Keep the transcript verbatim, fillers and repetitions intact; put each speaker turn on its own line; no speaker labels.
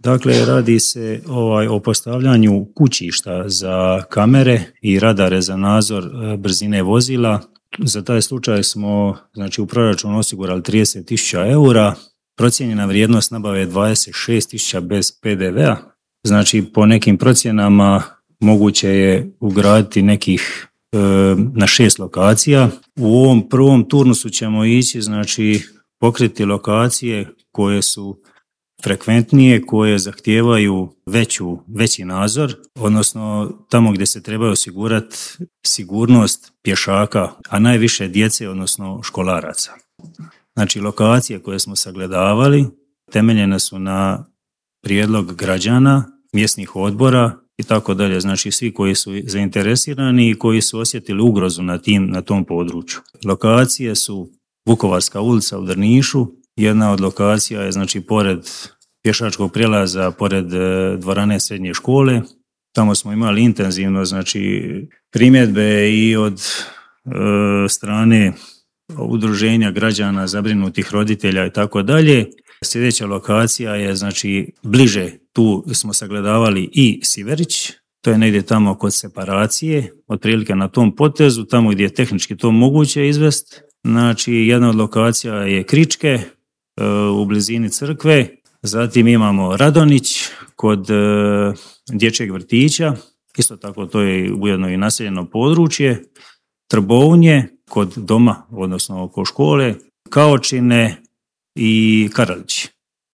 Dakle, radi se ovaj, o postavljanju kućišta za kamere i radare za nadzor brzine vozila. Za taj slučaj smo znači, u proračunu osigurali trideset tisuća eura, procijenjena vrijednost nabave je dvadeset šest tisuća bez pe de vea. Znači, po nekim procjenama moguće je ugraditi nekih e, na šest lokacija. U ovom prvom turnusu ćemo ići, znači, pokriti lokacije koje su frekventnije, koje zahtijevaju veću, veći nadzor, odnosno tamo gdje se treba osigurati sigurnost pješaka, a najviše djece, odnosno školaraca. Znači, lokacije koje smo sagledavali temeljene su na prijedlog građana, mjesnih odbora i tako dalje. Znači, svi koji su zainteresirani i koji su osjetili ugrozu na, tim, na tom području. Lokacije su Vukovarska ulica u Drnišu. Jedna od lokacija je znači pored pješačkog prijelaza, pored dvorane srednje škole. Tamo smo imali intenzivno znači primjedbe i od e, strane udruženja građana, zabrinutih roditelja i tako dalje. Sljedeća lokacija je znači bliže, tu smo sagledavali i Siverić, to je negdje tamo kod separacije, otprilike na tom potezu, tamo gdje je tehnički to moguće izvesti. Znači, jedna od lokacija je Kričke, u blizini crkve, zatim imamo Radonić kod e, dječjeg vrtića, isto tako to je ujedno i naseljeno područje, Trbovnje kod doma, odnosno oko škole, Kaočine i Karalići.